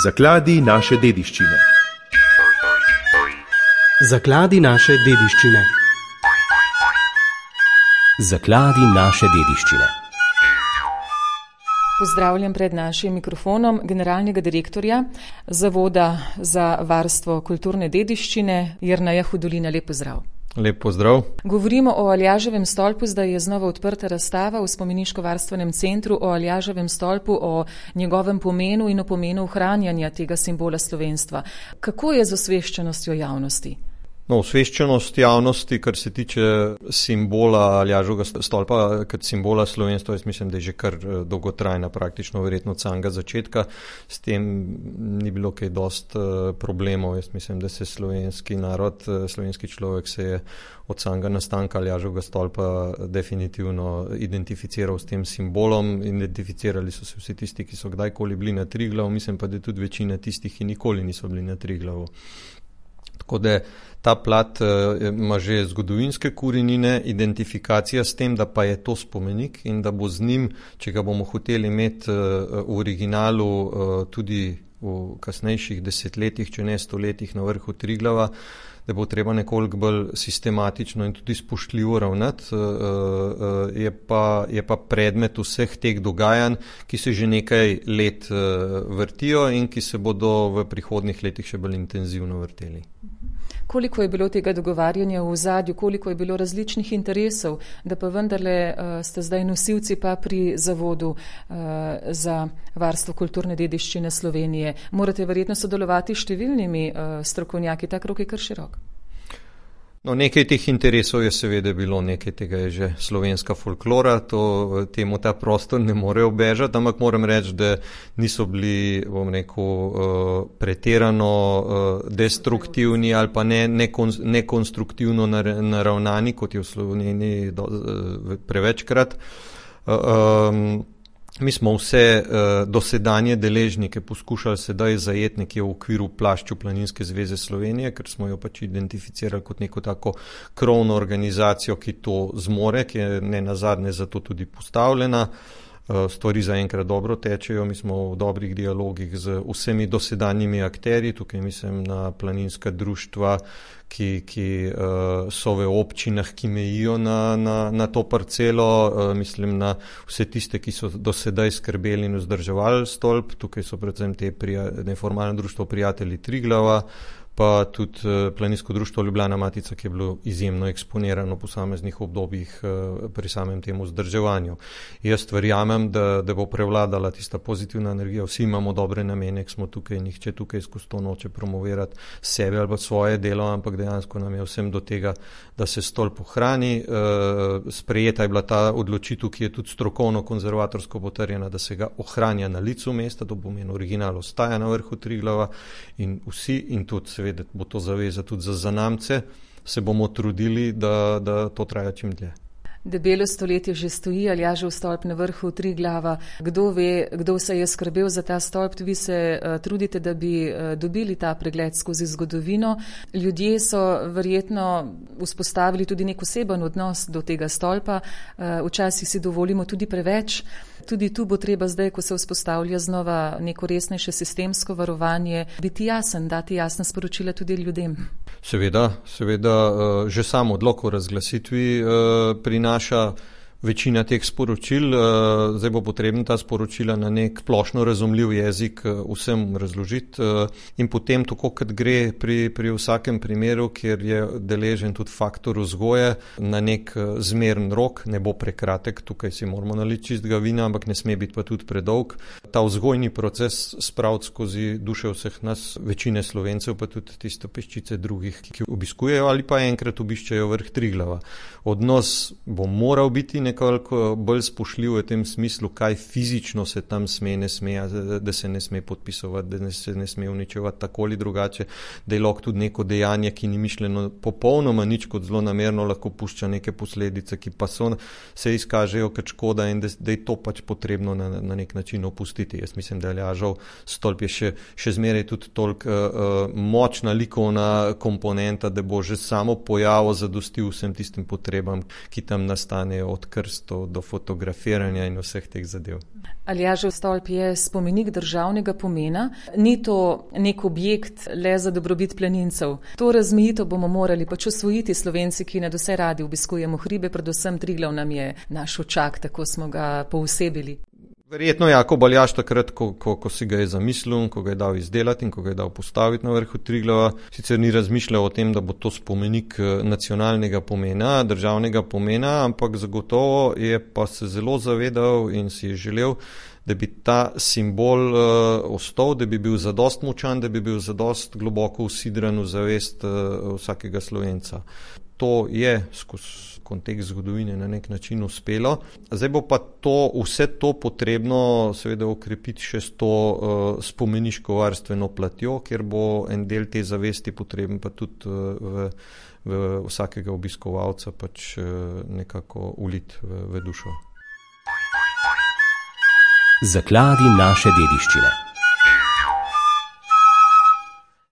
Zakladi naše dediščine. Zakladi naše dediščine. Zakladi naše dediščine. Pozdravljam pred našim mikrofonom generalnega direktorja Zavoda za varstvo kulturne dediščine Jerneja Hudolina. Lep pozdrav. Lep pozdrav. Govorimo o Aljaževem stolpu, zdaj je znova odprta razstava v Spomeniško-varstvenem centru o Aljaževem stolpu, o njegovem pomenu in o pomenu ohranjanja tega simbola slovenstva. Kako je z osveščenostjo javnosti? Osveščenost javnosti, kar se tiče simbola Aljaževega stolpa, kot simbola slovenstva, jaz mislim, da je že kar dolgotrajna, praktično verjetno od samega začetka. S tem ni bilo kaj dost problemov. Jaz mislim, da se slovenski narod, slovenski človek se je od samega nastanka Aljaževega stolpa definitivno identificiral s tem simbolom. Identificirali so se vsi tisti, ki so kdajkoli bili na Triglavu, mislim pa, da tudi večina tistih, ki nikoli niso bili na Triglavu. Tako da ta plat ima že zgodovinske korenine, identifikacija s tem, da pa je to spomenik in da bo z njim, če ga bomo hoteli imeti v originalu tudi v kasnejših desetletjih, če ne stoletjih na vrhu Triglava, da bo treba nekoliko bolj sistematično in tudi spoštljivo ravnati, je pa predmet vseh teh dogajanj, ki se že nekaj let vrtijo in ki se bodo v prihodnjih letih še bolj intenzivno vrteli. Koliko je bilo tega dogovarjanja v ozadju, koliko je bilo različnih interesov, da pa vendarle ste zdaj nosilci pa pri Zavodu za varstvo kulturne dediščine Slovenije. Morate verjetno sodelovati s številnimi strokovnjaki, ta krog je kar širok. Nekaj teh interesov je seveda bilo, nekaj tega je že slovenska folklora, temu ta prostor ne more obežati, ampak moram reči, da niso bili, bom rekel, pretirano destruktivni ali pa nekonstruktivno naravnani, kot je v Sloveniji prevečkrat. Mi smo vse dosedanje deležnike poskušali sedaj zajeti nekje v okviru plašču Planinske zveze Slovenije, ker smo jo pač identificirali kot neko tako krovno organizacijo, ki to zmore, ki je ne nazadnje zato tudi postavljena. Stvari zaenkrat dobro tečejo, mi smo v dobrih dialogih z vsemi dosedanjimi akterji, tukaj mislim na planinska društva, ki so v občinah, ki mejijo na to parcelo, mislim na vse tiste, ki so do sedaj skrbeli in vzdrževali stolp, tukaj so predvsem te neformalno društvo prijatelji Triglava, pa tudi Planinsko društvo Ljubljana Matica, ki je bilo izjemno eksponirano v posameznih obdobjih pri samem tem vzdrževanju. Jaz verjamem, da bo prevladala tista pozitivna energija, vsi imamo dobre namene, smo tukaj, nihče tukaj skozi to noče promovirati sebe ali pa svoje delo, ampak dejansko nam je vsem do tega, da se stolp ohrani. Sprejeta je bila ta odločitev, ki je tudi strokovno konzervatorsko potrjena, da se ga ohranja na licu mesta, to pomeni original ostaja na vrhu Triglava in vsi, in tudi seveda bo to zaveza tudi za zanamce, se bomo trudili, da to traja čim dlje. Debelo stoletje že stoji Aljažev stolp na vrhu Triglava. Kdo ve, kdo se je skrbel za ta stolp? Vi se trudite, da bi dobili ta pregled skozi zgodovino. Ljudje so verjetno vzpostavili tudi nek oseben odnos do tega stolpa. Včasih si dovolimo tudi preveč. Tudi tu bo treba zdaj, ko se vzpostavlja znova neko resnejše sistemsko varovanje, biti jasen, dati jasna sporočila tudi ljudem. Seveda, že sam odlok o razglasitvi prinaša večina teh sporočil, zdaj bo potrebno ta sporočila na nek splošno razumljiv jezik vsem razložiti in potem tako, kot gre pri vsakem primeru, kjer je deležen tudi faktor vzgoje, na nek zmeren rok, ne bo prekratek, tukaj si moramo naliti čistega vina, ampak ne sme biti pa tudi predolg. Ta vzgojni proces spraviti skozi duše vseh nas, večine Slovencev, pa tudi tiste peščice drugih, ki obiskujejo ali pa enkrat obiščajo vrh Triglava. Odnos bo moral biti nekoliko bolj spoštljiv v tem smislu, kaj fizično se tam sme, ne sme, da se ne sme podpisovati, da se ne sme uničevati tako ali drugače, da je lahko tudi neko dejanje, ki ni mišljeno popolnoma nič kot zlonamerno, lahko pušča neke posledice, ki pa se izkažejo kot škoda in da je to pač potrebno na nek način opustiti. Jaz mislim, da Aljažev stolp je še zmeraj tudi toliko močna likovna komponenta, da bo že samo pojavo zadostil vsem tistim potrebam, ki tam nastanejo od kar krstov, do fotografiranja in vseh teh zadev. Aljažev stolp je spomenik državnega pomena, ni to nek objekt le za dobrobit planincev. To razmejitev bomo morali pač osvojiti Slovenci, ki nadvse radi obiskujemo hribe, predvsem Triglav nam je naš očak, tako smo ga poosebili. Verjetno Jakob Aljaž takrat, ko si ga je zamislil, ko ga je dal izdelati in ko ga je dal postaviti na vrhu Triglava, sicer ni razmišljal o tem, da bo to spomenik nacionalnega pomena, državnega pomena, ampak zagotovo je pa se zelo zavedal in si je želel, da bi ta simbol ostal, da bi bil zadost močan, da bi bil zadost globoko usidran v zavest vsakega Slovenca. To je skozi kontekst zgodovine na nek način uspelo. Zdaj bo pa vse to potrebno seveda okrepiti še s to spomeniško varstveno platjo, kjer bo en del te zavesti potreben pa tudi v vsakega obiskovalca pač nekako uliti v dušo. Zakladi naše dediščine.